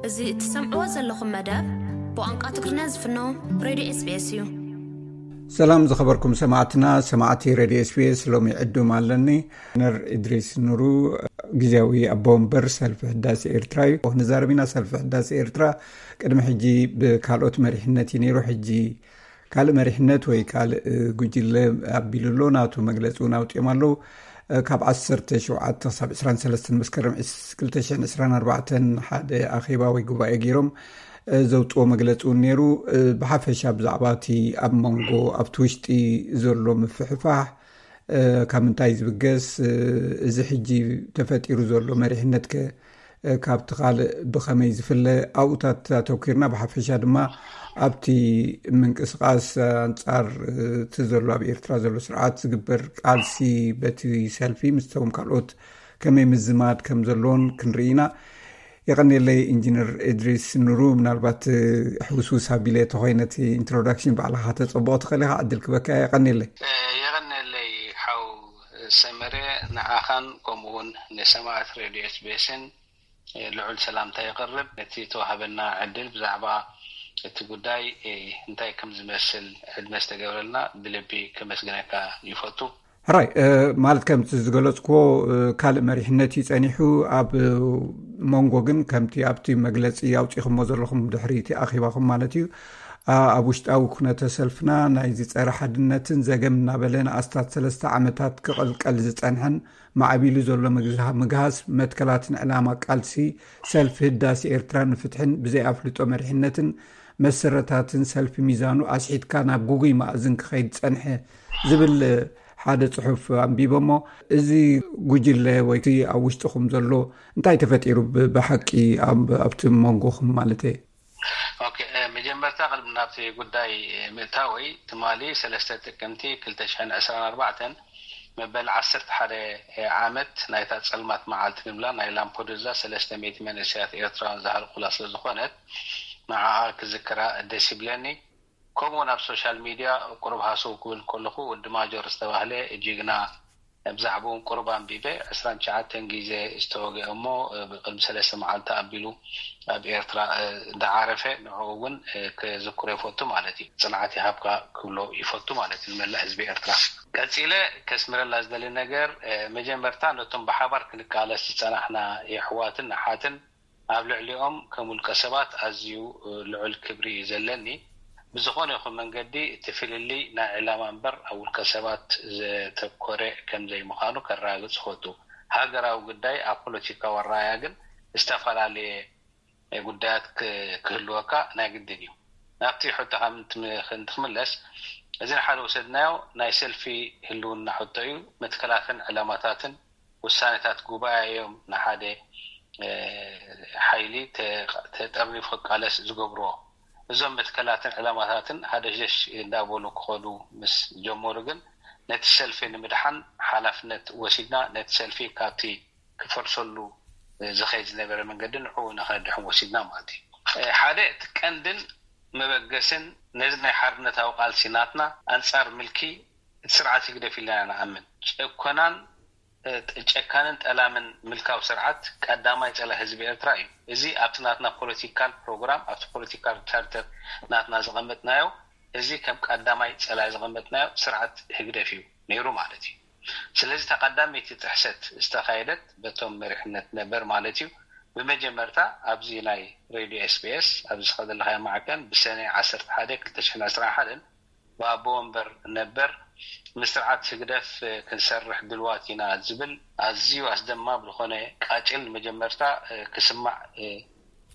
እዚ እትሰምዕዎ ዘለኹም መደብ ብቋንቋ ትግርኛ ዝፍኖ ሬድዮ ኤስቢኤስ እዩ። ሰላም ዝኸበርኩም ሰማዕትና፣ ሰማዕቲ ሬድዮ ኤስቢኤስ፣ ሎሚ ዕዱም ኣለኒ። ኢንጂነር እድሪስ ኑሩ፣ ግዜያዊ ኣቦ ወንበር ሰልፊ ህዳሴ ኤርትራ እዩ። ክንዛረብ ኢና። ሰልፊ ህዳሴ ኤርትራ ቅድሚ ሕጂ ብካልኦት መሪሕነት እዩ ነይሩ። ሕጂ ካልእ መሪሕነት ወይ ካልእ ጉጅለ ኣቢሉ ኣሎ። ናቱ መግለጺ እውን ኣውጺኦም ኣለዉ። ካብ ዓሰርተ ሸውዓተ ክሳብ ዕስራን ሰለስተን መስከረም ክልተ ሽሕን ዕስራን ኣርባዕተን ሓደ ኣኼባ ወይ ጉባኤ ገይሮም ዘውፅዎ መግለፂ እውን ነይሩ። ብሓፈሻ ብዛዕባ እቲ ኣብ መንጎ ኣብቲ ውሽጢ ዘሎ ምፍሕፋሕ ካብ ምንታይ ዝብገስ፣ እዚ ሕጂ ተፈጢሩ ዘሎ መሪሕነት ከ ካብቲ ካልእ ብኸመይ ዝፍለ ኣብኡታት ኣተኩርና፣ ብሓፈሻ ድማ ኣብቲ ምንቅስቃስ ኣንጻር እቲ ዘሎ ኣብ ኤርትራ ዘሎ ስርዓት ዝግበር ቃልሲ በቲ ሰልፊ ምስቶም ካልኦት ከመይ ምዝማድ ከም ዘለዎን ክንርኢ ኢና። የቐንየለይ ኢንጂነር እድሪስ ኑሩ፣ ምናልባት ሕውስውስ ኣቢለ ተኾይነ እቲ ኢንትሮዳክሽን ባዕልኻ ከተጸብቖ ትኽእል ኢኻ፣ ዕድል ክበካ። የቐንየለይ። የቐንየለይ ሓው ሰመረ፣ ንዓኻን ከምኡውን ንሰማዕት ሬድዮ ኤስቢኤስን ልዑል ሰላምታ የቕርብ። ነቲ ተዋህበና ዕድል ብዛዕባ እቲ ጉዳይ እንታይ ከም ዝመስል ዕድመ ዝተገብረልና ብልቢ ከመስግነካ ይፈቱ። ሕራይ፣ ማለት ከምቲ ዝገለጽክዎ ካልእ መሪሕነት እዩ ጸኒሑ። ኣብ መንጎ ግን ከምቲ ኣብቲ መግለጺ ኣውጺኹሞ ዘለኹም ድሕሪ እቲ ኣኼባኹም ማለት እዩ፣ ኣብ ውሽጣዊ ኩነተ ሰልፍና ናይዚ ጸረ ሓድነትን ዘገም እናበለ ንኣስታት ሰለስተ ዓመታት ክቕልቀል ዝጸንሐን ማዕቢሉ ዘሎ ምግሃስ መትከላትን ዕላማ ቃልሲ ሰልፊ ህዳሴ ኤርትራ ንፍትሕን ብዘይ ኣፍልጦ መሪሕነትን መሰረታትን ሰልፊ ሚዛኑ ኣስሒትካ ናብ ጉጉይ ማእዝን ክኸይድ ጸንሐ ዝብል ሓደ ጽሑፍ ኣንቢበ እሞ፣ እዚ ጉጅለ ወይ እቲ ኣብ ውሽጥኹም ዘሎ እንታይ ተፈጢሩ ብ-፣ ብሓቂ ኣብ-፣ ኣብቲ መንጎኹም ማለት እየ? ኦኬ፣ መጀመርታ ቅድሚ ናብቲ ጉዳይ ምእታወይ፣ ትማሊ ሰለስተ ጥቅምቲ ክልተ ሽሕን ዕስራን ኣርባዕተን መበል ዓሰርተ ሓደ ዓመት ናይታ ጸልማት መዓልቲ ንብላ ናይ ላምፖዱዛ ሰለስተ ሚእቲ መንእሰያት ኤርትራውያን ዝሃልቁላ ስለ ዝኾነት፣ ንዓኣ ክዝክራ ደስ ይብለኒ። ከምኡውን ኣብ ሶሻል ሚድያ ቁሩብ ሃሰው ክብል ከለኹ፣ ወዲ ማጆር ዝተባህለ ጅግና፣ ብዛዕባኡ ቁሩብ ኣንቢበ፣ ዕስራን ትሽዓተን ግዜ ዝተወግአ እሞ ብቅድሚ ሰለስተ መዓልቲ ኣቢሉ ኣብ ኤርትራ ዝዓረፈ፣ ንዕኡ እውን ክዝክሮ ይፈቱ ማለት እዩ። ጽንዓት ይሃብካ ክብሎ ይፈቱ ማለት እዩ ንመላእ ህዝቢ ኤርትራ። ቀጺለ ከስምረላ ዝደሊ ነገር፣ መጀመርታ ነቶም ብሓባር ክንቃለስ ዝጸናሕና የሕዋትን ኣሓትን፣ ኣብ ልዕሊኦም ከም ውልቀ ሰባት ኣዝዩ ልዑል ክብሪ እዩ ዘለኒ። ብዝኾነ ይኹን መንገዲ እቲ ፍልልይ ናይ ዕላማ እምበር ኣብ ውልቀ ሰባት ዘተኮረ ከም ዘይምዃኑ ከረጋግጽ እፈቱ። ሃገራዊ ጉዳይ ኣብ ፖለቲካዊ ኣረኣእያ ግን ዝተፈላለየ ጉዳያት ክ-፣ ክህልወካ ናይ ግድን እዩ። ናብቲ ሕቶኻ ምንት-፣ ክንትክምለስ፣ እዚ ንሓደ ወሰድናዮ ናይ ሰልፊ ህልውና ሕቶ እዩ። መትከላትን ዕላማታትን ውሳኔታት ጉባኤ እዮም ንሓደ፣ እ፣ ሓይሊ ተ-፣ ተጠርኒፉ ክቃለስ ዝገብርዎ። እዞም መትከላትን ዕላማታትን ሃደሽደሽ እንዳበሉ ክኸዱ ምስ ጀመሩ ግን ነቲ ሰልፊ ንምድሓን ሓላፍነት ወሲድና፣ ነቲ ሰልፊ ካብቲ ክፈርሰሉ ዝኸይድ ዝነበረ መንገዲ ንዕኡ ንኸድሕን ወሲድና ማለት እዩ። እ፣ ሓደ እቲ ቀንድን መበገስን ነዚ ናይ ሓርነታዊ ቃልሲ ናትና ኣንጻር ምልኪ እቲ ስርዓት ህግደፍ ኢልና ኢና ንኣምን። ጨኮናን ጨካንን ጠላምን ምልካዊ ስርዓት ቀዳማይ ጸላኢ ህዝቢ ኤርትራ እዩ። እዚ ኣብቲ ናትና ፖለቲካል ፕሮግራም፣ ኣብቲ ፖለቲካል ቻርተር ናትና ዘቐመጥናዮ፣ እዚ ከም ቀዳማይ ጸላኢ ዘቐመጥናዮ ስርዓት ህግደፍ እዩ ነይሩ ማለት እዩ። ስለዚ፣ እታ ቀዳመይቲ ጥሕሰት ዝተኻየደት በቶም መሪሕነት ነበር ማለት እዩ። ብመጀመርታ ኣብዚ ናይ ሬድዮ ኤስቢኤስ ኣብዚ ዝኸደልካዮ ማዕከን ብሰነ ዓሰርተ ሓደ ክልተ ሽሕን ዕስራን ሓደን ብኣቦ ወንበር ነበር፣ ምስ ስርዓት ህግደፍ ክንሰርሕ ድልዋት ኢና ዝብል ኣዝዩ ኣስደማም ዝኾነ ቃጭል ንመጀመርታ ክስማዕ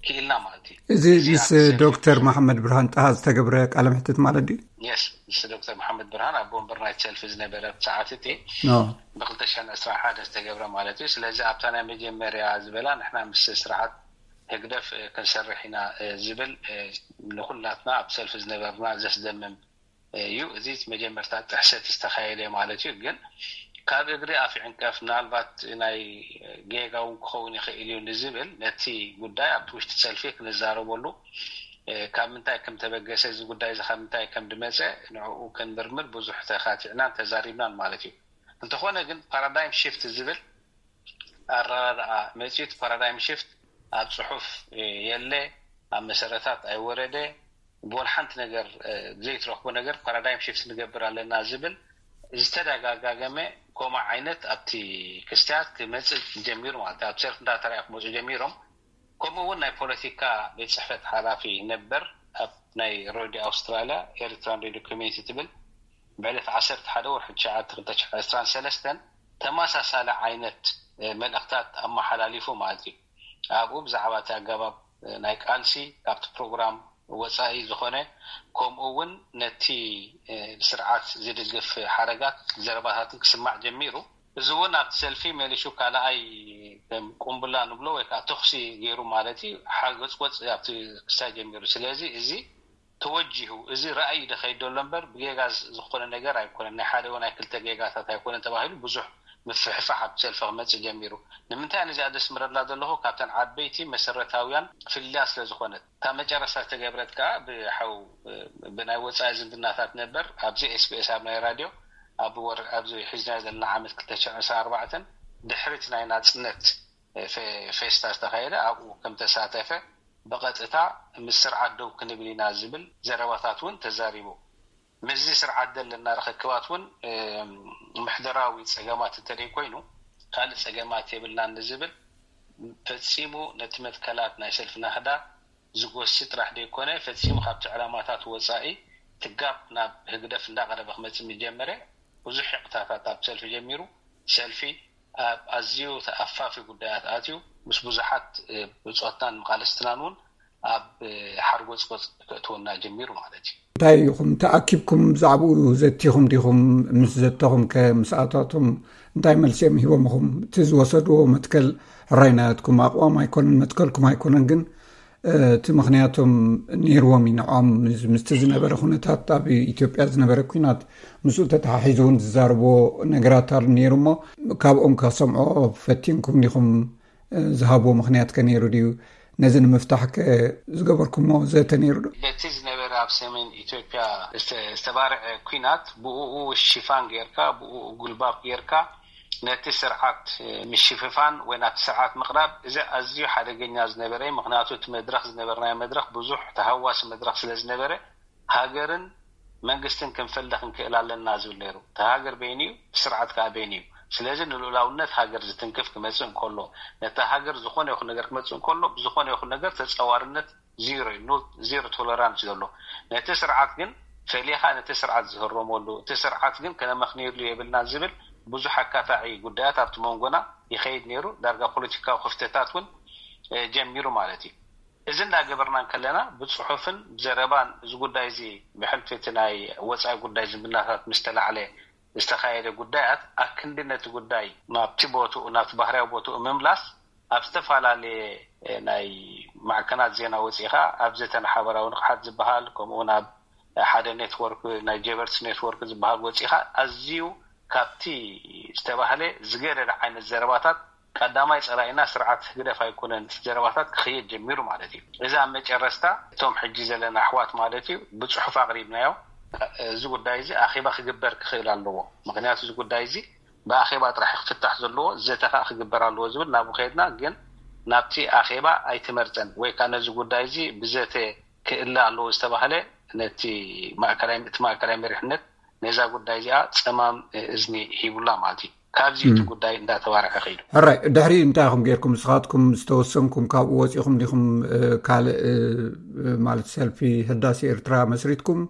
ክኢልና ማለት እዩ። እዚ እዚ ምስ ኣብ ሰልፊ ዶክተር መሓመድ ብርሃን ጣሃ ዝተገብረ ቃለ መሕትት ማለት ድዩ? የስ፣ ምስ ዶክተር መሓመድ ብርሃን ኣቦ ወንበር ናይቲ ሰልፊ ዝነበረ ሰዓት እቲ ኖ። ብ ክልተ ሽሕን ዕስራን ሓደን ዝተገብረ ማለት እዩ። ስለዚ ኣብታ ናይ መጀመርያ ዝበላ ንሕና ምስ ስርዓት ህግደፍ ክንሰርሕ ኢና ዝብል ንኹላትና ኣብ ሰልፊ ዝነበርና ዘስደምም እዩ። እዚ መጀመርታ ጥሕሰት ዝተኻየደ ማለት እዩ። ግን ካብ እግሪ ኣፍ ይዕንቀፍ፣ ምናልባት ናይ ጌጋ እውን ክኸውን ይኽእል እዩ ንዝብል ነቲ ጉዳይ ኣብቲ ውሽጢ ሰልፊ ክንዛረበሉ፣ ካብ ምንታይ ከም ተበገሰ፣ እዚ ጉዳይ እዚ ካብ ምንታይ ከም ድመጸ ንዕኡ ክንምርምር ብዙሕ ተኻቲዕናን ተዛሪብናን ማለት እዩ። እንተኾነ ግን ፓራዳይም ሽፍት ዝብል ኣረዳድኣ መጺኡ፣ እቲ ፓራዳይም ሽፍት ኣብ ጽሑፍ የለ፣ ኣብ መሰረታት ኣይወረደ፣ ብወላ ሓንቲ ነገር ዘይትረኽቦ ነገር ፓራዳይም ሽፍት ንገብር ኣለና ዝብል ዝተደጋጋገመ ኮማ ዓይነት ኣብቲ ክስትያት ክመፅእ ጀሚሩ ማለት ኣብ ሰልፍ እንዳተረያ ክመፁ ጀሚሮም። ከምኡ እውን ናይ ፖለቲካ ቤት ፅሕፈት ሓላፊ ነበር ኣብ ናይ ሬድዮ ኣውስትራልያ ኤሪትራን ሬድዮ ኮሚኒቲ ትብል ብዕለት ዓሰርተ ሓደ ወርሒ ትሽዓተ ክልተ ሽሕን ዕስራን ሰለስተን ተመሳሳሊ ዓይነት መልእኽታት ኣመሓላሊፉ ማለት እዩ። ኣብኡ ብዛዕባ እቲ ኣገባብ ናይ ቃልሲ ካብቲ ፕሮግራም ወፃኢ ዝኾነ ከምኡ እውን ነቲ ስርዓት ዝድግፍ ሓረጋት ዘረባታትን ክስማዕ ጀሚሩ። እዚ እውን ኣብቲ ሰልፊ መሊሹ ካልኣይ ከም ቁምብላ ንብሎ ወይ ከዓ ተኹሲ ገይሩ ማለት እዩ ሓርገፅጎፅ ኣብቲ ክስታይ ጀሚሩ። ስለዚ እዚ ተወጂሁ እዚ ራእይ ደኸይድ ዘሎ እምበር ብጌጋ ዝኾነ ነገር ኣይኮነን። ናይ ሓደ ወይ ናይ ክልተ ጌጋታት ኣይኮነን ተባሂሉ ብዙሕ ምፍሕፋሕ ኣብቲ ሰልፊ ክመፅእ ጀሚሩ። ንምንታይ ነዚኣ ዘስምረላ ዘለኹ ካብተን ዓበይቲ መሰረታውያን ፍልልያ ስለ ዝኾነት እታ መጨረስታ ዝተገብረት ከዓ ብሓው ብናይ ወፃኢ ዝምድናታት ነበር ኣብዚ ኤስቢኤስ ኣብ ናይ ራድዮ ኣብ ወር ኣብዚ ሒዝና ዘለና ዓመት ክልተ ሽሕን ዕስራን ኣርባዕተን ድሕሪት ናይ ናፅነት ፌስታ ዝተኻየደ ኣብኡ ከም ተሳተፈ ብቐጥታ ምስ ስርዓት ደው ክንብል ኢና ዝብል ዘረባታት እውን ተዛሪቡ። ምስዚ ስርዓት ዘለና ርኽክባት እውን ምሕደራዊ ፀገማት እንተደይ ኮይኑ ካልእ ፀገማት የብልናን ንዝብል ፈፂሙ ነቲ መትከላት ናይ ሰልፊ ናህዳ ዝጎሲ ጥራሕ ደይኮነ ፈፂሙ ካብቲ ዕላማታት ወፃኢ ትጋብ ናብ ህግደፍ እንዳቐረበ ክመፅእ ምጀመረ ብዙሕ ሕቕታታት ኣብ ሰልፊ ጀሚሩ። ሰልፊ ኣብ ኣዝዩ ተኣፋፊ ጉዳያት ኣትዩ ምስ ብዙሓት ብፆትናን መቓልስትናን እውን ኣብ ሓርጎፅጎፅ ከእትወና ጀሚሩ ማለት እዩ። እንታይ ኢኹም ተኣኪብኩም ብዛዕባኡ ዘቲኹም ዲኹም? ምስ ዘተኹም ከ ምስኣታቶም እንታይ መልሲ እዮም ሂቦምኹም? እቲ ዝወሰድዎ መትከል ሕራይ ናትኩም ኣቕዋም ኣይኮነን መትከልኩም ኣይኮነን ግን እቲ ምኽንያቶም ነይርዎም እዩ ንዕኦም ምስቲ ዝነበረ ኩነታት ኣብ ኢትዮጵያ ዝነበረ ኩናት ምስኡ ተተሓሒዙ እውን ዝዛረቦ ነገራት ኣሎ ነይሩ እሞ ካብኦም ከሰምዖ ፈቲንኩም ዲኹም? ዝሃብዎ ምኽንያት ከ ነይሩ ድዩ? ነዚ ንምፍታሕ ከ ዝገበርኩሞ ዘተ ነይሩ ዶ? በቲ ዝነበረ ኣብ ሰሜን ኢትዮጵያ ዝተባርዐ ኩናት ብኡ ሽፋን ጌርካ ብኡ ጉልባብ ጌርካ ነቲ ስርዓት ምሽፍፋን ወይ ናብቲ ስርዓት ምቕራብ እዚ ኣዝዩ ሓደገኛ ዝነበረ። ምክንያቱ እቲ መድረክ ዝነበርናዮ መድረክ ብዙሕ ተሃዋሲ መድረክ ስለ ዝነበረ ሃገርን መንግስትን ክንፈልጥ ክንክእል ኣለና ዝብል ነይሩ። እቲ ሃገር በይኑ እዩ፣ እቲ ስርዓት ከዓ በይኑ እዩ። ስለዚ ንልኡላውነት ሃገር ዝትንክፍ ክመፅእ እንከሎ ነታ ሃገር ዝኾነ ይኹን ነገር ክመፅእ እንከሎ ብዝኾነ ይኹን ነገር ተፀዋርነት ዜሮ እዩ፣ ዜሮ ቶለራንስ ዘሎ። ነቲ ስርዓት ግን ፈሊኻ ነቲ ስርዓት ዝህረመሉ እቲ ስርዓት ግን ከነመኽንየሉ የብልና ዝብል ብዙሕ ኣካታዒ ጉዳያት ኣብቲ መንጎና ይኸይድ ነይሩ። ዳርጋ ፖለቲካዊ ክፍተታት እውን ጀሚሩ ማለት እዩ። እዚ እንዳገበርና እንከለና ብፅሑፍን ብዘረባን እዚ ጉዳይ እዚ ብሕልፊ እቲ ናይ ወፃኢ ጉዳይ ዝምድናታት ምስ ተላዕለ ዝተኻየደ ጉዳያት ኣክንዲ ነቲ ጉዳይ ናብቲ ቦትኡ ናብቲ ባህርያዊ ቦትኡ ምምላስ ኣብ ዝተፈላለየ ናይ ማዕከናት ዜና ወፂኻ ኣብ ዘተ ንሓበራዊ ንቕሓት ዝበሃል ከምኡውን ኣብ ሓደ ኔትወርክ ናይ ጀበርትስ ኔትወርክ ዝበሃል ወፂኻ ኣዝዩ ካብቲ ዝተባህለ ዝገደደ ዓይነት ዘረባታት ቀዳማይ ፀላኢና ስርዓት ህግደፍ ኣይኮነን ዘረባታት ክኽየድ ጀሚሩ ማለት እዩ። እዚ ኣብ መጨረስታ እቶም ሕጂ ዘለና ኣሕዋት ማለት እዩ ብፅሑፍ ኣቕሪብናዮ። እዚ ጉዳይ እዚ ኣኼባ ክግበር ክኽእል ኣለዎ። ምክንያቱ እዚ ጉዳይ እዚ ብኣኼባ ጥራሕ ክፍታሕ ዘለዎ ዘተ ከዓ ክግበር ኣለዎ ዝብል ናብኡ ከይድና ግን ናብቲ ኣኼባ ኣይተመርፀን ወይ ከዓ ነዚ ጉዳይ እዚ ብዘተ ክእለ ኣለዎ ዝተባህለ ነቲ ማእከላይ እቲ ማእከላይ መሪሕነት ነዛ ጉዳይ እዚኣ ፀማም እዝኒ ሂቡላ ማለት እዩ። ካብዚ እቲ ጉዳይ እንዳተባርዐ ከይዱ። ሕራይ ድሕሪ እንታይ ኢኹም ጌርኩም ንስኻትኩም ዝተወሰንኩም ካብኡ ወፂኹም ዲኹም ካልእ ማለት ሰልፊ ህዳሴ ኤርትራ መስሪትኩም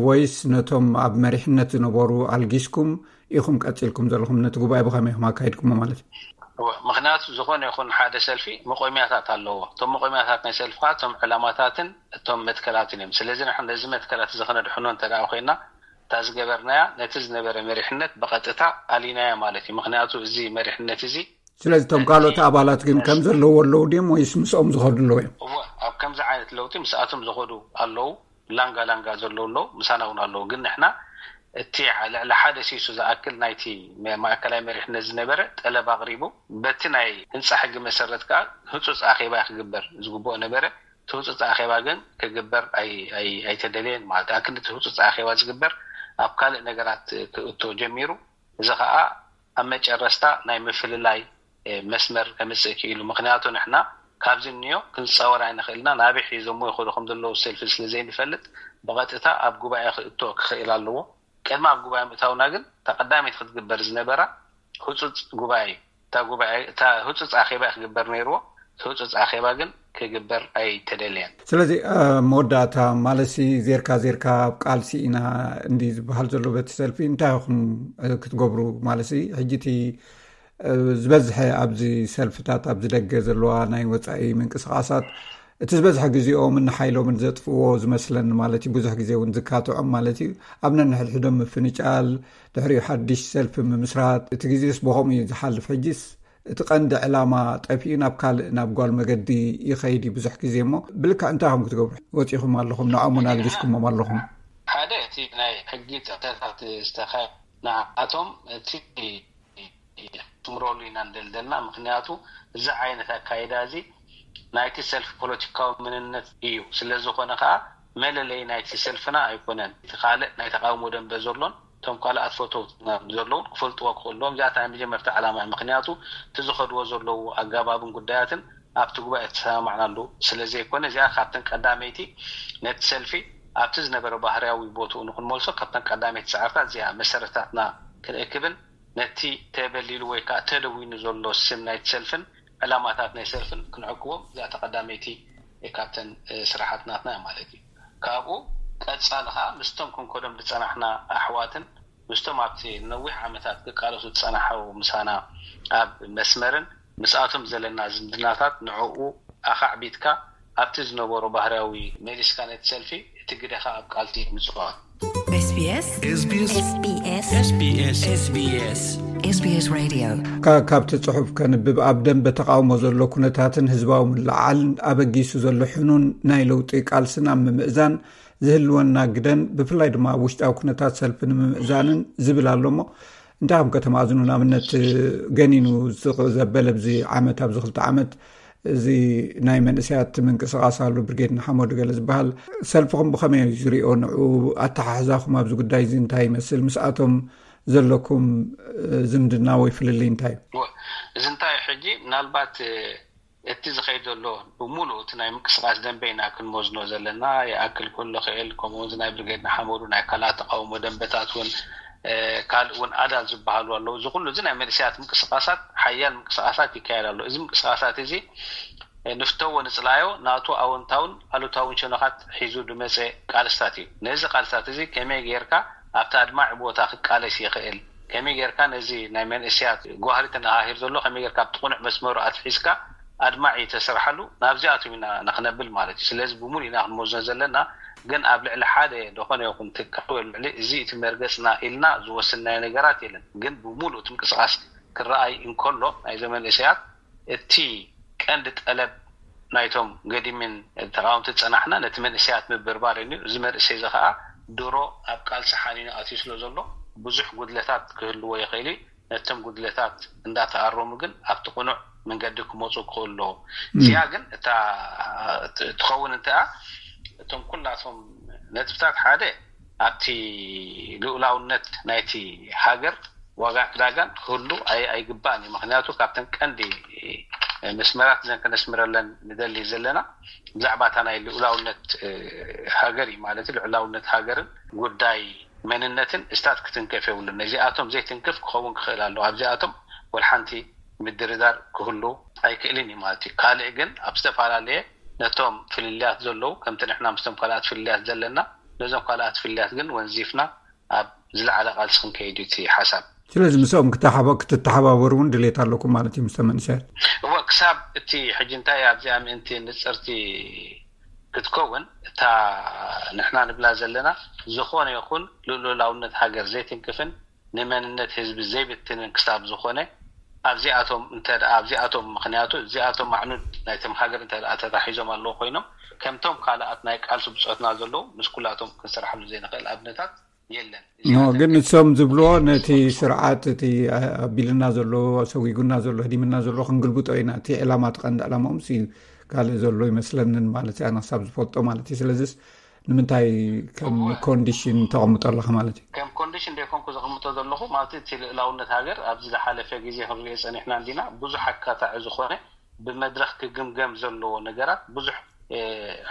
ወይስ ነቶም ኣብ መሪሕነት ዝነበሩ ኣልጊስኩም ኢኹም ቀፂልኩም ዘለኹም ነቲ ጉባኤ ብኸመይ ኢኹም ኣካይድኩሞ ማለት እዩ? ምክንያቱ ዝኾነ ይኹን ሓደ ሰልፊ መቆሚያታት ኣለዎ። እቶም መቆሚያታት ናይ ሰልፊ ከዓ እቶም ዕላማታትን እቶም መትከላትን እዮም። ስለዚ ንሕና ነዚ መትከላት እዚ ከነድሕኖ እንተ ኮይና እታ ዝገበርናያ ነቲ ዝነበረ መሪሕነት ብቐጥታ ኣሊናያ ማለት እዩ። ምክንያቱ እዚ መሪሕነት እዚ ስለዚ እቶም ካልኦት ኣባላት ግን ከም ዘለዎ ኣለዉ ድዮም ወይስ ምስኦም ዝኸዱ ኣለዉ እዮም? እወ ኣብ ከምዚ ዓይነት ለውጢ ምስኣቶም ዝኸዱ ኣለዉ። ላንጋ ላንጋ ዘለዉ ኣለዉ፣ ምሳና እውን ኣለዉ። ግን ንሕና እቲ ልዕሊ ሓደ ሲሱ ዝኣክል ናይቲ ማእከላይ መሪሕነት ዝነበረ ጠለብ ኣቕሪቡ በቲ ናይ ህንፃ ሕጊ መሰረት ከዓ ህፁፅ ኣኼባ ክግበር ዝግብኦ ነበረ። እቲ ህፁፅ ኣኼባ ግን ክግበር ኣይተደለየን ማለት ኣክል እቲ ህፁፅ ኣኼባ ዝግበር ኣብ ካልእ ነገራት ክእቶ ጀሚሩ። እዚ ከዓ ኣብ መጨረስታ ናይ ምፍልላይ መስመር ከምፅእ ክኢሉ። ምክንያቱ ንሕና ካብዚ እኒኦ ክንፃወር ኣይንኽእልና። ናበይ ሒዞሞ ይኸዱ ከም ዘለዉ ሰልፊ ስለ ዘይንፈልጥ፣ ብቐጥታ ኣብ ጉባኤ ክእቶ ክኽእል ኣለዎ። ቅድሚ ኣብ ጉባኤ ምእታውና ግን፣ እታ ቀዳመይቲ ክትግበር ዝነበራ ህፁፅ ጉባኤ፣ እታ ጉባኤ፣ እታ ህፁፅ ኣኼባ ክግበር ነይርዎ። እቲ ህፁፅ ኣኼባ ግን ክግበር ኣይተደልየን። ስለዚ፣ እ፣ መወዳእታ ማለሲ ዜርካ ዜርካ ኣብ ቃልሲ ኢና እንዲ ዝበሃል ዘሎ በቲ ሰልፊ፣ እንታይ ኢኹም፣ እ፣ ክትገብሩ? ማለሲ ሕጂ እቲ፣ እ፣ ዝበዝሐ ኣብዚ ሰልፍታት፣ ኣብዚ ደገ ዘለዋ ናይ ወጻኢ ምንቅስቓሳት፣ እቲ ዝበዝሐ ግዜኦምን ሓይሎምን ዘጥፍዎ ዝመስለኒ ማለት እዩ። ብዙሕ ግዜ እውን ዝካትዖም ማለት እዩ። ኣብ ነንሕድሕዶም ምፍንጫል፣ ድሕሪኡ ሓድሽ ሰልፊ ምምስራት፣ እቲ ግዜስ ብኸምኡ እዩ ዝሓልፍ። ሕጂስ እቲ ቀንዲ ዕላማ ጠፊኡ ናብ ካልእ፣ ናብ ጓል መገዲ ይኸይድ እዩ ብዙሕ ግዜ። እሞ ብልክዕ እንታይ ኢኹም ክትገብሩ ወጺኹም ኣለኹም? ንዖም እውን ኣልጊስኩሞም ኣለኹም። ሓደ እቲ ናይ ሕጊ ጥሕሰታት ዝተኸ-፣ ንዓቶም እቲ ትምረሉ ኢና እንደልደልና። ምክንያቱ እዚ ዓይነት ኣካይዳ እዚ ናይቲ ሰልፊ ፖለቲካዊ መንነት እዩ። ስለ ዝኾነ ከዓ መለለይ ናይቲ ሰልፍና ኣይኮነን። እቲ ካልእ ናይ ተቃውሞ ደንበ ዘሎን እቶም ካልኣት ፈተውትና ዘለውን ክፈልጥዎ ክኽእልዎም። እዚኣታ ናይ መጀመርታ ዕላማ እዩ። ምክንያቱ እቲ ዝኸድዎ ዘለዉ ኣገባብን ጉዳያትን ኣብቲ ጉባኤ ተሰማማዕናሉ ስለ ዘይኮነ፣ እዚኣ ካብተን ቀዳመይቲ ነቲ ሰልፊ ኣብቲ ዝነበረ ባህርያዊ ቦትኡ ንክንመልሶ፣ ካብተን ቀዳመይቲ ጻዕርታት እዚኣ መሰረታትና ክንእክብን ነቲ ተበሊሉ ወይ ከዓ ተደዊኑ ዘሎ ስም ናይቲ ሰልፍን ዕላማታት ናይ ሰልፍን ክንዕቅቦም፣ እዚኣ እታ ቀዳመይቲ ካብተን፣ እ፣ ስራሓት ናትና እያ ማለት እዩ። ካብኡ ቀጻሊ ከዓ ምስቶም ክንከዶም ዝጸናሕና ኣሕዋትን ምስቶም ኣብቲ ነዊሕ ዓመታት ክቃለሱ ዝጸናሑ ምሳና ኣብ መስመርን ምስኣቶም ዘለና ዝምድናታት ንዕኡ ኣኻዕቢትካ ኣብቲ ዝነበሮ ባህርያዊ መሊስካ ነቲ ሰልፊ እቲ ግደኻ ኣብ ቃልሲ ምጽዋር። SBS SBS SBS SBS SBS Radio. ካ-፣ ካብቲ ጽሑፍ ከንብብ፣ ኣብ ደንበ ተቃውሞ ዘሎ ኩነታትን ህዝባዊ ምልዕዓልን ኣበጊሱ ዘሎ ሕኑን ናይ ለውጢ ቃልስን ኣብ ምምእዛን ዝህልወና ግደን፣ ብፍላይ ድማ ኣብ ውሽጣዊ ኩነታት ሰልፊ ንምምእዛንን ዝብል ኣሎ። እሞ እንታይ ከም ከተማእዝኑ፣ ንኣብነት፣ ገኒኑ ዝቕ-፣ ዘበለ ኣብዚ ዓመት፣ ኣብዚ ክልተ ዓመት እዚ ናይ መንእሰያት ምንቅስቓስ ኣሎ፣ ብርጌድ ንሓመዱ ገለ ዝበሃል፣ ሰልፍኹም ብኸመይ እዩ ዝሪኦ? ንዑ ኣተሓሕዛኹም ኣብዚ ጉዳይ እዚ እንታይ ይመስል? ምስኣቶም ዘለኩም፣ እ፣ ዝምድና ወይ ፍልልይ እንታይ እዩ? ወ-፣ እዚ እንታይ እዩ ሕጂ? ምናልባት፣ እ፣ እቲ ዝኸይድ ዘሎ ብምሉእ እቲ ናይ ምንቅስቓስ ደንበ ኢና ክንመዝኖ ዘለና። ይኣክል ክህሉ ክእል፣ ከምኡ እውን ናይ ብርጌድ ንሓመዱ፣ ናይ ካልኣት ተቃውሞ ደንበታት እውን፣ እ፣ ካልእ እውን ኣዳል ዝበሃሉ ኣለዉ። እዚ ኩሉ እዚ ናይ መንእሰያት ምንቅስቓሳት፣ ሓያል ምንቅስቓሳት ይካየድ ኣሎ። እዚ ምንቅስቓሳት እዚ፣ እ፣ ንፍተዎ ንጽላዮ፣ ናቱ ኣወንታውን ኣሉታውን ሸነኻት ሒዙ ዝመጸ ቃልስታት እዩ። ነዚ ቃልስታት እዚ ከመይ ጌርካ ኣብቲ ኣድማዒ ቦታ ክቃለስ ይኽእል፣ ከመይ ጌርካ ነዚ ናይ መንእሰያት ጓህሪ ተነሃሂር ዘሎ ከመይ ጌርካ ኣብቲ ቅኑዕ መስመሩ ኣትሒዝካ ኣድማዒ ተስርሓሉ፣ ናብዚኣቶም ኢና ንኽነብል ማለት እዩ። ስለዚ ብምሉእ ኢና ክንመዝኖ ዘለና፣ ግን ኣብ ልዕሊ ሓደ ዝኾነ ይኹን ትካል ወይ ልዕሊ እዚ እቲ መርገጽና ኢልና ዝወሰንናዮ ነገራት የለን። ግን ብምሉእ እቲ ምንቅስቓስ ክረኣይ እንከሎ ናይዞም መንእሰያት እቲ ቀንዲ ጠለብ ናይቶም ገዲምን ተቃወምቲ ዝጸናሕና ነቲ መንእሰያት ምብርባር እዩ። እዚ መንእሰይ እዚ ኸኣ ድሮ ኣብ ቃልሲ ሓኒኑ ኣትዩ ስለ ዘሎ ብዙሕ ጉድለታት ክህልዎ ይኽእል እዩ። ነቶም ጉድለታት እንዳተኣረሙ ግን ኣብቲ ቅኑዕ መንገዲ ክመጹ ክኽእሉ ኣለዎም። እም። እዚኣ ግን እታ ት-፣ ትኸውን እንተኣ እቶም ኩላቶም ነጥብታት ሓደ ኣብቲ ልኡላውነት ናይቲ ሃገር ዋጋ ዕዳጋን ክህሉ ኣይ-፣ ኣይግባእን እዩ። ምክንያቱ ካብተን ቀንዲ መስመራት እዘን ከነስምረለን ንደሊ ዘለና ብዛዕባ እታ ናይ ልኡላውነት፣ እ፣ ሃገር እዩ ማለት እዩ። ልኡላውነት ሃገርን ጉዳይ መንነትን ስታት ክትንከፍ የብሉን። ነዚኣቶም ዘይትንክፍ ክኸውን ክኽእል ኣለዎ። ኣብዚኣቶም ወላ ሓንቲ ምድርዳር ክህሉ ኣይክእልን እዩ ማለት እዩ። ካልእ ግን ኣብ ዝተፈላለየ ነቶም ፍልልያት ዘለዉ፣ ከምቲ ንሕና ምስቶም ካልኣት ፍልልያት ዘለና፣ ነዞም ካልኣት ፍልልያት ግን ወንዚፍና ኣብ ዝለዓለ ቃልሲ ክንከይድ እዩ እቲ ሓሳብ። ስለዚ ምስኦም ክተሓባ-፣ ክትተሓባበሩ እውን ድሌት ኣለኩም ማለት እዩ፣ ምስቶም መንእሰያት? እወ፣ ክሳብ እቲ ሕጂ እንታይ ኣብዚኣ ምእንቲ ንጽርቲ ክትከውን፣ እታ ንሕና ንብላ ዘለና ዝኾነ ይኹን ልኡላውነት ሃገር ዘይትንክፍን ንመንነት ህዝቢ ዘይብትንን ክሳብ ዝኾነ፣ ኣብዚኣቶም እንተ ደኣ፣ ኣብዚኣቶም፣ ምኽንያቱ እዚኣቶም ኣዕኑድ ናይቶም ሃገር እንተ ደኣ ተታሒዞም ኣለዉ ኮይኖም፣ ከምቶም ካልኣት ናይ ቃልሲ ብጾትና ዘለዉ፣ ምስ ኩላቶም ክንሰርሓሉ ዘይንኽእል ኣብነታት የለን። ኖ፣ እዚኣተን ግን ግን ንሶም ዝብልዎ ነቲ ስርዓት፣ እቲ ኣቢልና ዘሎ፣ ሰጒጉና ዘሎ፣ ህዲምና ዘሎ ክንግልብጦ ኢና። እቲ ዕላማ፣ እቲ ቀንዲ ዕላማኦም ሲ ካልእ ዘሎ ይመስለንን ማለት እዩ፣ ኣነ ክሳብ ዝፈልጦ ማለት እዩ። ስለዚስ ንምንታይ ከም እወ። ኮንዲሽን ተቐምጦ ኣለኻ ማለት እዩ? ከም ኮንዲሽን ደይኮንኩ ዘቐምጦ ዘለኹ ማለት እዩ። እቲ ልእላውነት ሃገር ኣብዚ ዝሓለፈ ግዜ ክንሪኦ ጸኒሕና እንዲና። ብዙሕ ኣካታዒ ዝኾነ ብመድረኽ ክግምገም ዘለዎ ነገራት ብዙሕ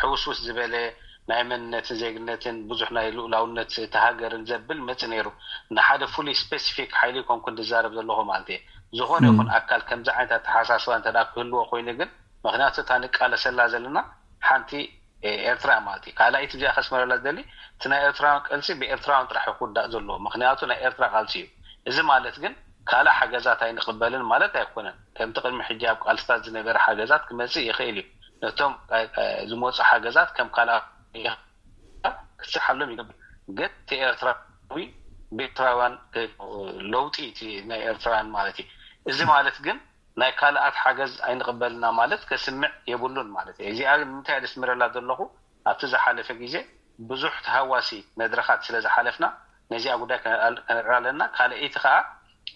ሕውስውስ ዝበለ ናይ መንነትን ዜግነትን ብዙሕ ናይ ልኡላውነት እቲ ሃገርን ዘብል መጽእ ነይሩ። ንሓደ ፍሉይ ስፔሲፊክ ሓይሊ ኮንኩ ዝዛረብ ዘለኹ ማለት እየ። ዝኾነ ይኹን ኣካል ከምዚ ዓይነት ኣተሓሳስባ እንተ ክህልዎ ኮይኑ ግን፣ ምክንያቱ እታ ንቃለሰላ ዘለና ሓንቲ ኤርትራ ማለት እዩ። ካልኣይቲ እዚኣ ከስመረላ ዝደሊ፣ እቲ ናይ ኤርትራውያን ቃልሲ ብኤርትራውያን ጥራሕ ክውዳእ ዘለዎ፣ ምክንያቱ ናይ ኤርትራ ቃልሲ እዩ። እዚ ማለት ግን ካልእ ሓገዛት ኣይንቕበልን ማለት ኣይኮነን። ከምቲ ቅድሚ ሕጂ ኣብ ቃልስታት ዝነበረ ሓገዛት ክመጽእ ይኽእል እዩ። ነቶም ዝመጹ ሓገዛት ከም ካልኣ ክትሰሓሎም ይገብር። ግን እቲ ኤርትራዊ ብኤርትራውያን ለውጢ እቲ ናይ ኤርትራውያን ማለት እዩ። እዚ ማለት ግን ናይ ካልኣት ሓገዝ ኣይንቕበልና ማለት ከስምዕ የብሉን ማለት እዩ። እዚኣ ንምንታይ የስምረላ ዘለኹ፣ ኣብቲ ዝሓለፈ ግዜ ብዙሕ ተሃዋሲ መድረኻት ስለ ዝሓለፍና ነዚኣ ጉዳይ ከነዕራ ኣለና። ካልኣይቲ ከዓ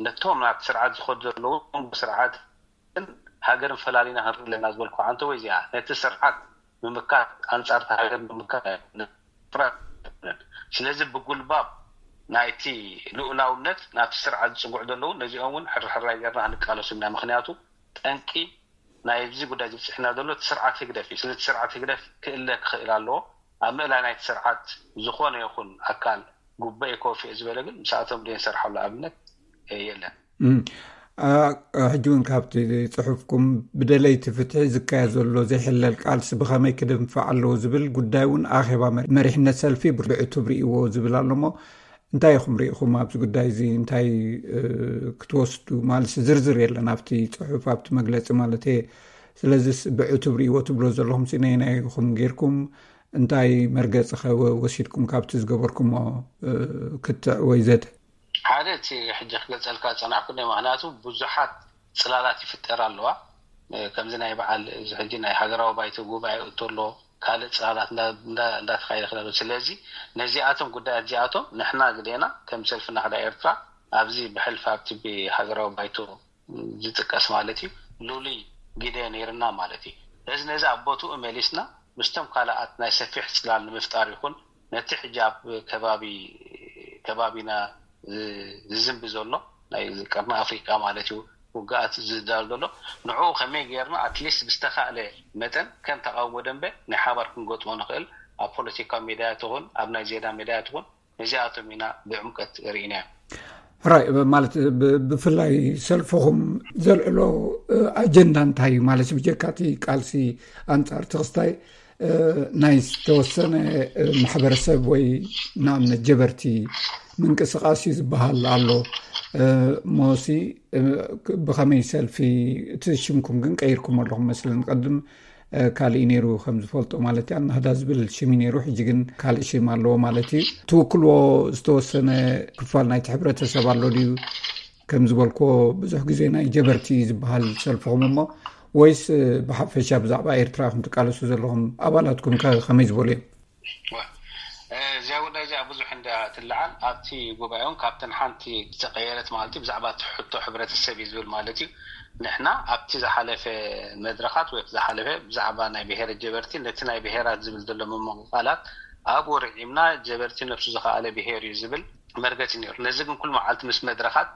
ነቶም ናብቲ ስርዓት ዝኸዱ ዘለዉ ስርዓትን ሃገርን ፈላሊና ክንርኢ ኣለና ዝበልኩ ዓንተ ወይ እዚኣ ነቲ ስርዓት ምምካት ኣንጻር ሃገር ምምካት ኣይኮነን። ስለዚ ብጉልባብ ናይቲ ልኡላውነት ናብቲ ስርዓት ዝጽግዑ ዘለዉ ነዚኦም እውን ሕርሕራይ ጌርና ክንቃለሱ ኢና። ምክንያቱ ጠንቂ ናይ እዚ ጉዳይ ዝብፅሕና ዘሎ እቲ ስርዓት ህግደፍ እዩ። ስለዚ ስርዓት ህግደፍ ክእለ ክኽእል ኣለዎ። ኣብ ምእላይ ናይቲ ስርዓት ዝኾነ ይኹን ኣካል ጉበኤ ኮፊ ዝበለ ግን ምስኣቶም ደንሰርሓሉ ኣብነት የለን። ሕጂ እውን ካብቲ ፅሑፍኩም ብደለይቲ ፍትሒ ዝካየድ ዘሎ ዘይሕለል ቃልሲ ብኸመይ ክድንፋዕ ኣለዎ ዝብል ጉዳይ እውን ኣኼባ መሪሕነት ሰልፊ ብዕቱብ ርእይዎ ዝብል ኣሎሞ እንታይ ኢኹም ርኢኹም ኣብዚ ጉዳይ እዚ እንታይ ክትወስዱ ማለት ዝርዝር የለን ኣብቲ ፅሑፍ ኣብቲ መግለፂ ማለት እየ። ስለዚስ ብዕቱብ ርእይዎ ትብሎ ዘለኹም ነየናይ ኢኹም ጌርኩም እንታይ መርገፂ ከ ወሲድኩም ካብቲ ዝገበርኩሞ ክትዕ ወይ ዘተ? ሓደ እቲ ሕጂ ክገልፀልካ ዝፀናሕኩ ምክንያቱ ብዙሓት ፅላላት ይፍጠር ኣለዋ። ከምዚ ናይ በዓል እዚ ሕጂ ናይ ሃገራዊ ባይቶ ጉባኤ እቶ ኣሎ ካልእ ፅላላት እንዳተካየደ ክነሉ። ስለዚ ነዚኣቶም ጉዳያት እዚኣቶም ንሕና ግዴና ከም ሰልፊ ናህዳ ኤርትራ ኣብዚ ብሕልፊ ኣብቲ ብሃገራዊ ባይቶ ዝጥቀስ ማለት እዩ ልሉይ ግደ ነይርና ማለት እዩ። ስለዚ ነዚ ኣብ ቦትኡ መሊስና ምስቶም ካልኣት ናይ ሰፊሕ ፅላል ንምፍጣር ይኹን ነቲ ሕጂ ኣብ ከባቢ ከባቢና ዝዝንቢ ዘሎ ናይ ቀርኒ ኣፍሪቃ ማለት እዩ ውግኣት ዝዳል ዘሎ ንዕኡ ከመይ ገይርና ኣትሊስት ብዝተኻእለ መጠን ከም ተቃውሞ ደንበ ናይ ሓባር ክንገጥሞ ንኽእል ኣብ ፖለቲካዊ ሜዳያ ትኹን ኣብ ናይ ዜና ሜዳያ ትኹን ነዚኣቶም ኢና ብዕምቀት ርኢናዮም። ሕራይ ማለት ብፍላይ ሰልፍኹም ዘልዕሎ ኣጀንዳ እንታይ እዩ ማለት ብጀካ እቲ ቃልሲ ኣንፃር ትኽስታይ ናይ ዝተወሰነ ማሕበረሰብ ወይ ንኣብነት ጀበርቲ ምንቅስቃስ እዩ ዝበሃል ኣሎ። ሞሲ ብኸመይ ሰልፊ እቲ ሽምኩም ግን ቀይርኩም ኣለኹም መስለን ቀድም ካልእ ነይሩ ከም ዝፈልጦ ማለት እዩ ኣናህዳ ዝብል ሽም ነይሩ ሕጂ ግን ካልእ ሽም ኣለዎ ማለት እዩ። ትውክልዎ ዝተወሰነ ክፋል ናይቲ ሕብረተሰብ ኣሎ ድዩ? ከም ዝበልክዎ ብዙሕ ግዜ ናይ ጀበርቲ ዝበሃል ሰልፍኹም እሞ ወይስ ብሓፈሻ ብዛዕባ ኤርትራ ኢኹም ትቃለሱ ዘለኹም? ኣባላትኩም ከ ከመይ ዝበሉ እዮም? እዚኣ ጉዳይ እዚኣ ብዙሕ እንዳ ትለዓል ኣብቲ ጉባኤ እውን ካብተን ሓንቲ ዝተቀየረት ማለት እዩ ብዛዕባ እቲ ሕቶ ሕብረተሰብ እዩ ዝብል ማለት እዩ። ንሕና ኣብቲ ዝሓለፈ መድረኻት ወይ ዝሓለፈ ብዛዕባ ናይ ብሄረ ጀበርቲ ነቲ ናይ ብሄራት ዝብል ዘሎ ምምቕቓላት ኣብኡ ርዒምና ጀበርቲ ነብሱ ዝኸኣለ ብሄር እዩ ዝብል መርገፂ ነይሩ። ነዚ ግን ኩሉ መዓልቲ ምስ መድረኻት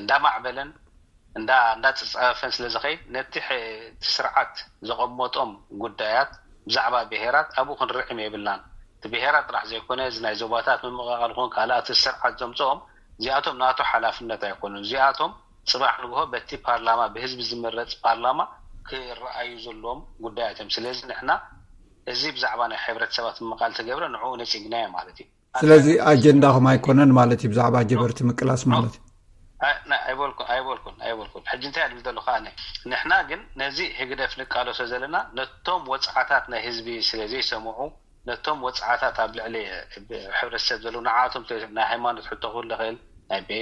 እንዳማዕበለን እንዳ እንዳፀፀፈን ስለ ዝኸይድ ነቲ እቲ ስርዓት ዘቐመጦም ጉዳያት ብዛዕባ ብሄራት ኣብኡ ክንርዕም የብልናን። እቲ ብሄራት ጥራሕ ዘይኮነ እዚ ናይ ዞባታት ምምቕቓል ኾን ካልኣት ስርዓት ዘምፅኦም እዚኣቶም ናቱ ሓላፍነት ኣይኮኑን። እዚኣቶም ፅባሕ ንግሆ በቲ ፓርላማ ብህዝቢ ዝምረፅ ፓርላማ ክረኣዩ ዘለዎም ጉዳያት እዮም። ስለዚ ንሕና እዚ ብዛዕባ ናይ ሕብረተሰባት ምምቓል ተገብረ ንዕኡ ነፂግናዮ ማለት እዩ። ስለዚ ኣጀንዳኹም ኣይኮነን ማለት እዩ ብዛዕባ ጀበርቲ ምቅላስ ማለት እዩ። ኣይበልኩን ኣይበልኩን ኣይበልኩን ሕጂ እንታይ ኣድል ዘለኹ ኣነ ንሕና ግን ነዚ ህግደፍ ንቃለሶ ዘለና ነቶም ወፅዓታት ናይ ህዝቢ ስለ ዘይሰምዑ ነቶም ወፅዓታት ኣብ ልዕሊ ሕብረተሰብ ዘለዉ ንዓቶም ናይ ሃይማኖት ሕቶ ክህሉ ይኽእል ናይ ቤ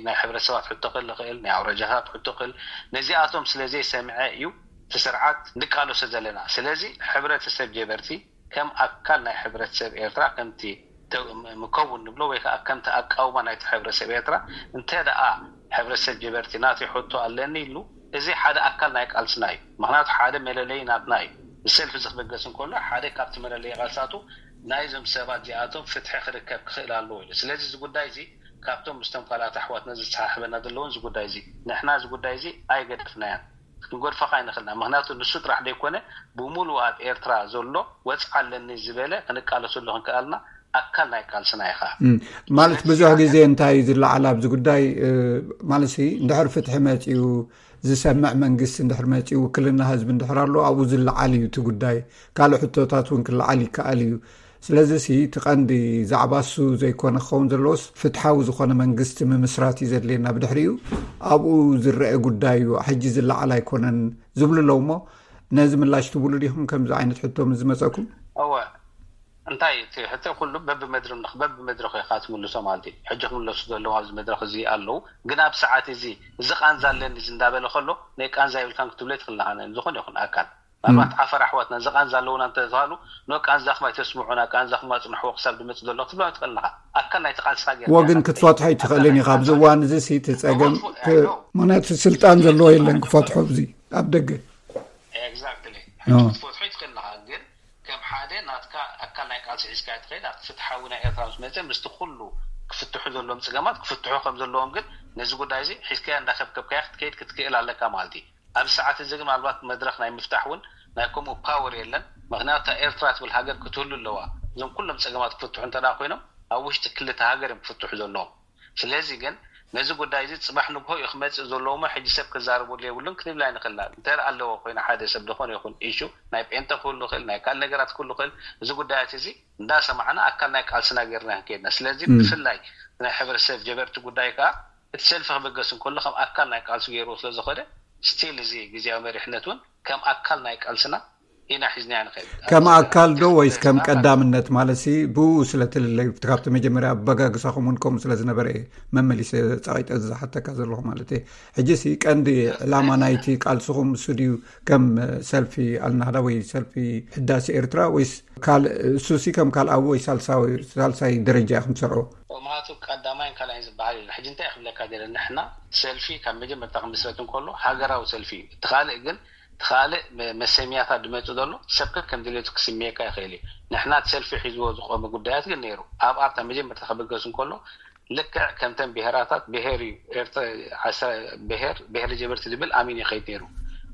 ናይ ሕብረተሰባት ሕቶ ክህሉ ይኽእል ናይ ኣውረጃታት ሕቶ ክህል ነዚኣቶም ስለ ዘይሰምዐ እዩ እቲ ስርዓት ንቃለሶ ዘለና ስለዚ ሕብረተሰብ ጀበርቲ ከም ኣካል ናይ ሕብረተሰብ ኤርትራ ከምቲ ምከውን ንብሎ ወይ ከዓ ከምቲ ኣቃውማ ናይቲ ሕብረተሰብ ኤርትራ እንተ ደኣ ሕብረተሰብ ጀበርቲ ናተይ ሕቶ ኣለኒ ኢሉ እዚ ሓደ ኣካል ናይ ቃልስና እዩ። ምክንያቱ ሓደ መለለይ ናትና እዩ። ብሰልፊ ዝክበገስ እንከሎ ሓደ ካብቲ መለለይ ቃልሳቱ ናይዞም ሰባት እዚኣቶም ፍትሒ ክርከብ ክኽእል ኣለዎ ኢሉ። ስለዚ እዚ ጉዳይ እዚ ካብቶም ምስቶም ካልኣት ኣሕዋትና ዘሰሓሕበና ዘለውን እዚ ጉዳይ እዚ ንሕና እዚ ጉዳይ እዚ ኣይገደፍናያን። ክንጎድፈኻ ኣይንኽእልና። ምክንያቱ ንሱ ጥራሕ ዘይኮነ፣ ብምሉእ ኣብ ኤርትራ ዘሎ ወፅዓ ኣለኒ ዝበለ ክንቃለሰሉ ክንክኣልና ኣካል ናይ ቃልስና ኢኻ። ማለት ብዙሕ ግዜ እንታይ እዩ ዝለዓል ኣብዚ ጉዳይ ማለት፣ እንድሕር ፍትሒ መፅኡ፣ ዝሰምዕ መንግስቲ እንድሕር መፅኡ፣ ውክልና ህዝቢ እንድሕር ኣሎ፣ ኣብኡ ዝለዓል እዩ እቲ ጉዳይ። ካልእ ሕቶታት እውን ክለዓል ይከኣል እዩ። ስለዚ እቲ ቀንዲ ዛዕባ እሱ ዘይኮነ ክኸውን ዘለዎስ፣ ፍትሓዊ ዝኾነ መንግስቲ ምምስራት እዩ ዘድልየና። ብድሕሪኡ ኣብኡ ዝረአ ጉዳይ እዩ፣ ሕጂ ዝለዓል ኣይኮነን ዝብሉ ኣለዉ። እሞ ነዚ ምላሽ ትብሉ ዲኹም? ከምዚ ዓይነት ሕቶ ምስ ዝመፀኩም? እወ፣ እንታይ እቲ ሕቶ ኩሉ በብመድረኽ በብመድረኽ ኢኻ ትምልሶ ማለት እዩ። ሕጂ ክምለሱ ዘለዎም ኣብዚ መድረኽ እዚ ኣለዉ። ግን ኣብ ሰዓት እዚ፣ እዚ ቃንዛ ኣለኒ እዚ እንዳበለ ከሎ፣ ናይ ቃንዛ ይብልካን ክትብሎ ትኽእልናኻ። ዝኾነ ይኹን ኣካል፣ ምናልባት ዓፈር ኣሕዋትና እዚ ቃንዛ ኣለውና እንተተባሉ፣ ኖ ቃንዛኹም ኣይተስምዑና፣ ቃንዛኹም ኣጽንሕዎ ክሳብ ዝመጽእ ዘሎ ክትብሎ ትኽእልናኻ። ኣካል ናይቲ ቃልስኻ ጌርካ ወግን ኢኻ ክትፈትሖ ኣይትኽእልን ኢኻ። ኣብዚ እዋን እዚ እቲ ጸገም፣ ምክንያቱ ስልጣን ዘለዎ የለን ክፈትሖ። ኣብዚ ኣብ ደገ ኤግዛክትሊ። ሕጂ ክትፈትሖ ይትኽእል ኣለኻ፣ ግን ከም ሓደ ናትካ ኣካል ናይ ቃልሲ ሒዝካ ትኸይድ። ኣብቲ ፍትሓዊ ናይ ኤርትራ ምስ መፀ፣ ምስቲ ኩሉ ክፍትሑ ዘለዎም ፀገማት ክፍትሑ ከም ዘለዎም፣ ግን ነዚ ጉዳይ እዚ ሒዝካዮ እንዳኸብከብካዮ ክትከይድ ክትክእል ኣለካ ማለት እዩ። ኣብዚ ሰዓት እዚ ግን ምናልባት መድረኽ ናይ ምፍታሕ እውን ናይ ከምኡ ፓወር የለን። ምክንያቱ እታ ኤርትራ ትብል ሃገር ክትህሉ ኣለዋ። እዞም ኩሎም ፀገማት ክፍትሑ እንተ ኮይኖም፣ ኣብ ውሽጢ ክልተ ሃገር እዮም ክፍትሑ ዘለዎም። ስለዚ ግን ነዚ ጉዳይ እዚ ፅባሕ ንግሆ እዩ ክመፅእ ዘለዎ እሞ፣ ሕጂ ሰብ ክዛረበሉ የብሉን ክንብል ኣይንኽእልና። እንተ ኣለዎ ኮይና፣ ሓደ ሰብ ዝኾነ ይኹን ኢሹ፣ ናይ ጴንጠ ክህሉ ይኽእል፣ ናይ ካልእ ነገራት ክህሉ ይኽእል። እዚ ጉዳያት እዚ እንዳሰማዕና ኣካል ናይ ቃልስና ጌርና ክንከይድና። ስለዚ ብፍላይ ናይ ሕብረተሰብ ጀበርቲ ጉዳይ ከዓ፣ እቲ ሰልፊ ክብገስ እንከሎ ከም ኣካል ናይ ቃልሲ ገይርዎ ስለ ዝኸደ፣ ስቲል እዚ ግዜያዊ መሪሕነት እውን ከም ኣካል ናይ ቃልስና ኢና ሒዝናዮ ንኸይድ። ከም ኣካል ዶ ወይስ ከም ቀዳምነት? ማለት ሲ ብኡ ስለ ትልለዩ፣ ካብቲ መጀመርያ ኣበጋግሳኹም እውን ከምኡ ስለ ዝነበረ እየ መመሊሰ ጸቒጠ ዝሓተካ ዘለኹ ማለት እየ። ሕጂ ሲ ቀንዲ ዕላማ ናይቲ ቃልስኹም እሱ ድዩ? ከም ሰልፊ ኣልናህዳ ወይ ሰልፊ ሕዳሴ ኤርትራ ወይስ ካልእ? እሱ ሲ ከም ካልኣዊ ወይ ሳልሳዊ፣ ሳልሳይ ደረጃ ኢኹም ትሰርዑ? ምክንያቱ ቀዳማይን ካልኣይን ዝበሃል የለን። ሕጂ እንታይ ክብለካ ደለ፣ ንሕና ሰልፊ ካብ መጀመርታ ክምስረት እንከሎ ሃገራዊ ሰልፊ እዩ። እቲ ካልእ ግን፣ እቲ ካልእ መ-፣ መሰምያታት ዝመጽእ ዘሎ ሰብ ከከም ድሌቱ ክስምየካ ይኽእል እዩ። ንሕና እቲ ሰልፊ ሒዝዎ ዝቆመ ጉዳያት ግን ነይሩ። ኣብ ኣርታ መጀመርታ ክብገስ እንከሎ ልክዕ ከምተን ብሄራታት፣ ብሄር እዩ ኤርትራ፣ ዓስራ ብሄር፣ ብሄር ጀበርቲ ዝብል ኣሚን ይኸይድ ነይሩ።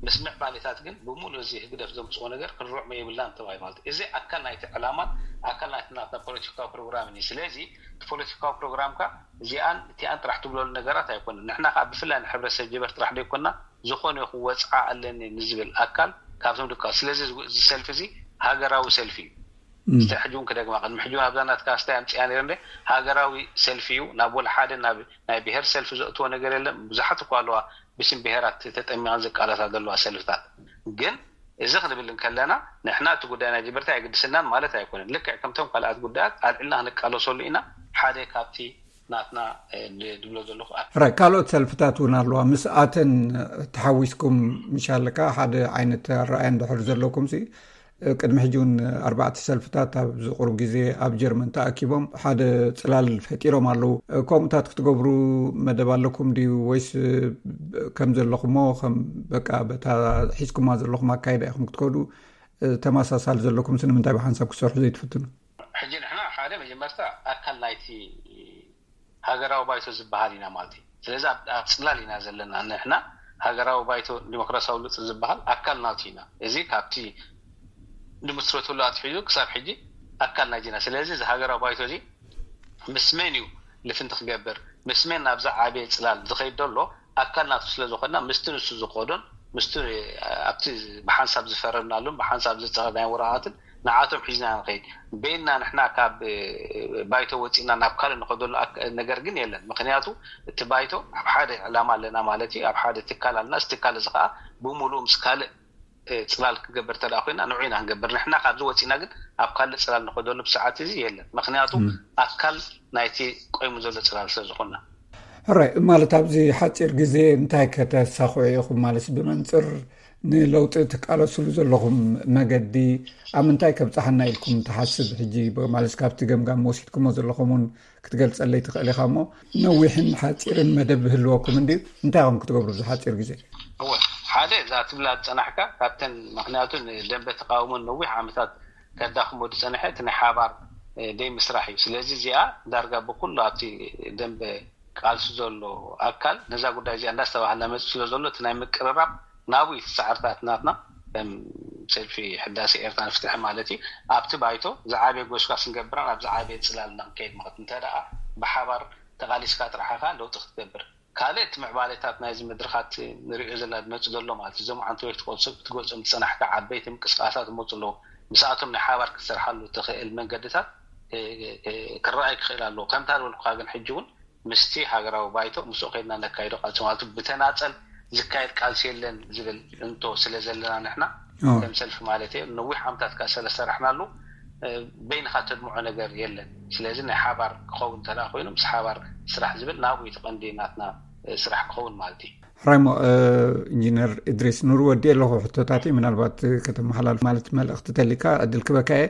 ምስ ምዕባሌታት ግን ብምሉእ እዚ ህግደፍ ዘምጽኦ ነገር ክንርዕሞ የብልናን ተባሂሉ ማለት እዩ። እዚ ኣካል ናይቲ ዕላማን ኣካል ናይቲ ናትና ፖለቲካዊ ፕሮግራምን እዩ። ስለዚ እቲ ፖለቲካዊ ፕሮግራምካ እዚኣን እቲኣን ጥራሕ ትብለሉ ነገራት ኣይኮነን። ንሕና ከዓ ብፍላይ ንሕብረተሰብ ጀበርቲ ጥራሕ ዘይኮንና፣ ዝኾነ ይኹን ወፅዓ ኣለኒ ንዝብል ኣካል ካብቶም ድቃ። ስለዚ እዚ ሰልፊ እዚ ሃገራዊ ሰልፊ እዩ። እስተ ሕጂ እውን ክደግማ፣ ቅድሚ ሕጂ እውን ኣብዛ ናትካ ስታይ ኣምፅያ ነይረ እንደ፣ ሃገራዊ ሰልፊ እዩ። ናብ ወላ ሓደ ናብ ናይ ብሄር ሰልፊ ዘእትዎ ነገር የለን። ብዙሓት እኳ ኣለዋ ብስም ብሄራት ተጠሚቐን ዝቃለሳ ዘለዋ ሰልፍታት። ግን እዚ ክንብል እንከለና ንሕና እቲ ጉዳይ ናይ ጀበርቲ ኣይግድሰናን ማለት ኣይኮነን። ልክዕ ከምቶም ካልኣት ጉዳያት ኣልዕልና ክንቃለሰሉ ኢና። ሓደ ካብቲ ናትና፣ እ፣ ድ-፣ ድብሎ ዘለኹ ኣካል። ራይ፣ ካልኦት ሰልፍታት እውን ኣለዋ። ምስ ኣተን ተሓዊስኩም ምሻለካ ሓደ ዓይነት ኣረኣእያ እንድሕር ዘለኩም ሲ፣ እ፣ ቅድሚ ሕጂ እውን ኣርባዕተ ሰልፍታት ኣብዚ ቁሩብ ግዜ ኣብ ጀርመን ተኣኪቦም ሓደ ጽላል ፈጢሮም ኣለዉ። እ፣ ከምኡታት ክትገብሩ መደብ ኣለኩም ድዩ? ወይስ፣ እ፣ ከም ዘለኹሞ፣ ከም በቃ በታ ሒዝኩማ ዘለኹም ኣካይዳ ኢኹም ክትከዱ፣ እ፣ ተመሳሳሊ ዘለኩም ሲ ንምንታይ ብሓንሳብ ክትሰርሑ ዘይትፍትኑ? ሕጂ ንሕና ሓደ መጀመርታ ኣካል ናይቲ ሃገራዊ ባይቶ ዝበሃል ኢና ማለት እዩ። ስለዚ ኣብ፣ ኣብ ጽላል ኢና ዘለና። ንሕና ሃገራዊ ባይቶ ዲሞክራሲያዊ ለውጢ ዝበሃል ኣካል ናቱ ኢና። እዚ ካብቲ ንምስረተሉ ኣትሒዙ ክሳብ ሕጂ ኣካል ናይዚ ኢና። ስለዚ እዚ ሃገራዊ ባይቶ እዚ ምስ መን እዩ ልፍንቲ ክገብር፣ ምስ መን ናብዛ ዓብየ ጽላል ዝኸይድ ዘሎ ኣካል ናቱ ስለ ዝኾንና፣ ምስቲ ንሱ ዝኸዶን ምስቲ ኣብቲ ብሓንሳብ ዝፈረምናሉን ብሓንሳብ ዝጸቐናዮ ወረቓቕትን ንዓቶም ሒዝና ንኸይድ። በይንና ንሕና ካብ፣ እ፣ ባይቶ ወጺእና ናብ ካልእ ንኸደሉ ኣክ-፣ ነገር ግን የለን። ምኽንያቱ እቲ ባይቶ ኣብ ሓደ ዕላማ ኣለና ማለት እዩ፣ ኣብ ሓደ ትካል ኣለና። እዚ ትካል እዚ ኸዓ ብምሉኡ ምስ ካልእ፣ እ፣ ጽላል ክገብር እንተ ደኣ ኮይና ንዑ ኢና ክንገብር። ንሕና ካብዚ ወጺእና ግን ኣብ ካልእ ጽላል ንኸደሉ ብሰዓት እዚ የለን። ምኽንያቱ ኣካል ናይቲ ቆይሙ ዘሎ ጽላል ስለ ዝኾንና። ሕራይ፣ ማለት ኣብዚ ሓጺር ግዜ እንታይ ከተሳኽዑ ኢኹም? ማለት ብመንጽር ንለውጢ ትቃለስሉ ዘለኹም መገዲ ኣብ ምንታይ ከብጽሓና ኢልኩም ትሓስብ? ሕጂ ብ-፣ ማለት ካብቲ ገምጋም ወሲድኩሞ ዘለኹም እውን ክትገልጸለይ ትኽእል ኢኻ እሞ፣ ነዊሕን ሓጺርን መደብ ይህልወኩም እንድዩ። እንታይ ኢኹም ክትገብሩ ኣብዚ ሓጺር ግዜ? እወ፣ ሓደ እዛ ትብላ ዝጸናሕካ ካብተን፣ ምኽንያቱ ንደንበ ተቃውሞን ነዊሕ ዓመታት ከዳኽሞ ዝጸንሐ እቲ ናይ ሓባር፣ እ፣ ደይ ምስራሕ እዩ። ስለዚ እዚኣ ዳርጋ ብኩሉ ኣብቲ ደንበ ቃልሲ ዘሎ ኣካል ነዛ ጉዳይ እዚኣ እንዳስተባሃለ መጽእ ስለ ዘሎ፣ እቲ ናይ ምቅርራብ ናብኡ እቲ ፃዕርታት ናትና ከም ሰልፊ ሕዳሴ ኤርትራ ንፍትሒ ማለት እዩ። ኣብቲ ባይቶ ዝዓበየ ጎስጓስ ንገብራን ኣብ ዝዓበየ ፅላል ንክንከይድ ማለት እንተ ደኣ ብሓባር ተቓሊስካ ጥራሕ ኢኻ ለውጢ ክትገብር። ካልእ እቲ ምዕባሌታት ናይዚ መድረኻት ንሪኦ ዘለና ዝመፅእ ዘሎ ማለት እዩ። እዞም ዓንተወይ ክትቆፅብ ክትገልፆም ዝፀናሕካ ዓበይቲ ምንቅስቃሳት ይመፁ ኣለዉ። ምስኣቶም ናይ ሓባር ክትሰርሓሉ ትኽእል መንገድታት ክረኣይ ክኽእል ኣለዎ። ከምታ ዝበልኩካ ግን ሕጂ እውን ምስቲ ሃገራዊ ባይቶ ምስኡ ከይድና ነካይዶ ቃልሲ ማለት እዩ። ብተናፀል ዝካየድ ቃልሲ የለን ዝብል እንቶ ስለ ዘለና ንሕና ከም ሰልፊ ማለት እየ ነዊሕ ዓመታት ከዓ ስለ ሰራሕናሉ በይንካ ተድምዖ ነገር የለን። ስለዚ ናይ ሓባር ክኸውን እንተ ኮይኑ ምስ ሓባር ስራሕ ዝብል ናብኡ እቲ ቀንዲ ናትና ስራሕ ክኸውን ማለት እዩ። ሕራይሞ ኢንጂነር እድሪስ ኑር ወዲ ኣለኹ ሕቶታት ምናልባት ከተመሓላልፍ ማለት መልእኽቲ ተሊካ ዕድል ክበካ እየ።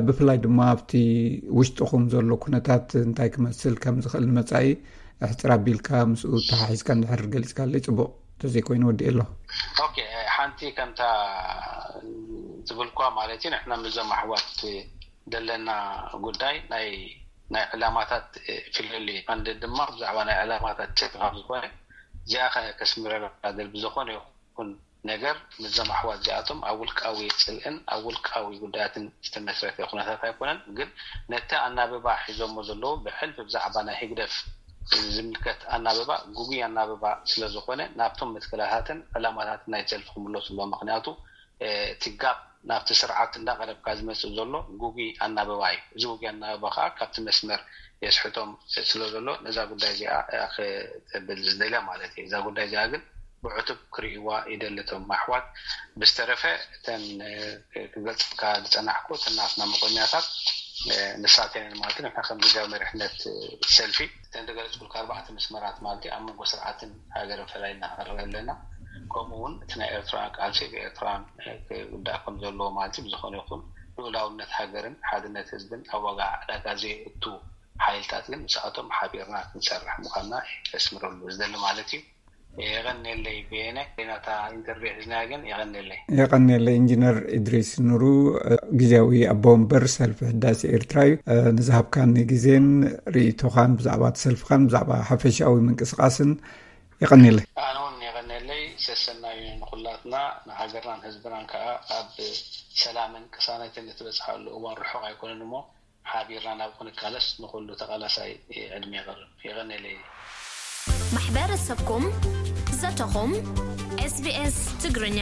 ብፍላይ ድማ ኣብቲ ውሽጥኹም ዘሎ ኩነታት እንታይ ክመስል ከም ዝኽእል ንመፃኢ ሕፅር ኣቢልካ ምስኡ ተሓሒዝካ እንድሕር ገሊፅካለይ ፅቡቕ። ተዘይኮይኑ ወዲ ኣሎ። ሓንቲ ከምታ ዝብልኳ ማለት እዩ ንሕና ምዞም ኣሕዋት ዘለና ጉዳይ ናይ ናይ ዕላማታት ፍልል እዩ። ቀንዲ ድማ ብዛዕባ ናይ ዕላማታት ጭርቂ ካብ ዝኾነ እዚኣ ከስምረላ ደል ብዝኾነ ይኹን ነገር ምዞም ኣሕዋት እዚኣቶም ኣብ ውልቃዊ ፅልእን ኣብ ውልቃዊ ጉዳያትን ዝተመስረተ ኩነታት ኣይኮነን። ግን ነቲ ኣናብባ ሒዞሞ ዘለዉ ብሕልፊ ብዛዕባ ናይ ህግደፍ ዝምልከት ኣናብባ ጉጉይ ኣናብባ ስለ ዝኾነ ናብቶም መትከላታትን ዕላማታትን ናይ ሰልፊ ክምለሱ ኣለዎ። ምክንያቱ እቲ ጋብ ናብቲ ስርዓት እንዳቀረብካ ዝመፅእ ዘሎ ጉጉይ ኣናብባ እዩ። እዚ ጉጉይ ኣናብባ ከዓ ካብቲ መስመር የስሕቶም ስለ ዘሎ ነዛ ጉዳይ እዚኣ ክብል ዝደልያ ማለት እዩ። እዛ ጉዳይ እዚኣ ግን ብዕቱብ ክርእይዋ ይደሊ እቶም ኣሕዋት። ብዝተረፈ እተን ክገልፀልካ ዝፀናሕኩ እተን ናትና መቆኛታት ንሳተን ማለት ንሕና ከም ግዜያዊ መሪሕነት ሰልፊ እተን ዝገለፅኩልካ ኣርባዕተ መስመራት ማለት ኣብ መንጎ ስርዓትን ሃገርን ፈላይና ንርአ ኣለና። ከምኡ እውን እቲ ናይ ኤርትራውያን ቃልሲ ብኤርትራውያን ክውዳእ ከም ዘለዎ ማለት ብዝኾነ ይኹን ልኡላውነት ሃገርን ሓድነት ህዝብን ኣብ ዋጋ ዕዳጋ ዘየእቱ ሓይልታት ግን ምስኣቶም ሓቢርና ክንሰርሕ ምዃንና የስምረሉ ዝደሊ ማለት እዩ። የቐንየለይ ብየነ ናታ ኢንተርቪው ሒዝና ግን የቐንየለይ። የቐንየለይ ኢንጂነር እድሪስ ኑሩ ግዜያዊ ኣቦ ወንበር ሰልፊ ህዳሴ ኤርትራ እዩ። ንዝሃብካኒ ግዜን ርእይቶኻን ብዛዕባ እቲ ሰልፍኻን ብዛዕባ ሓፈሻዊ ምንቅስቃስን የቐንየለይ። ኣነ እውን የቐንየለይ። ሰሰናዩ ንኹላትና ንሃገርናን ህዝብናን ከዓ ኣብ ሰላምን ቅሳነትን እትበፅሓሉ እዋን ርሑቕ ኣይኮነን እሞ ሓቢርና ናብ ክንቃለስ ንኹሉ ተቓላሳይ ዕድመ የቕርብ። የቐንየለይ። ማሕበረሰብኩም ዘተኹም ኤስቢኤስ ትግርኛ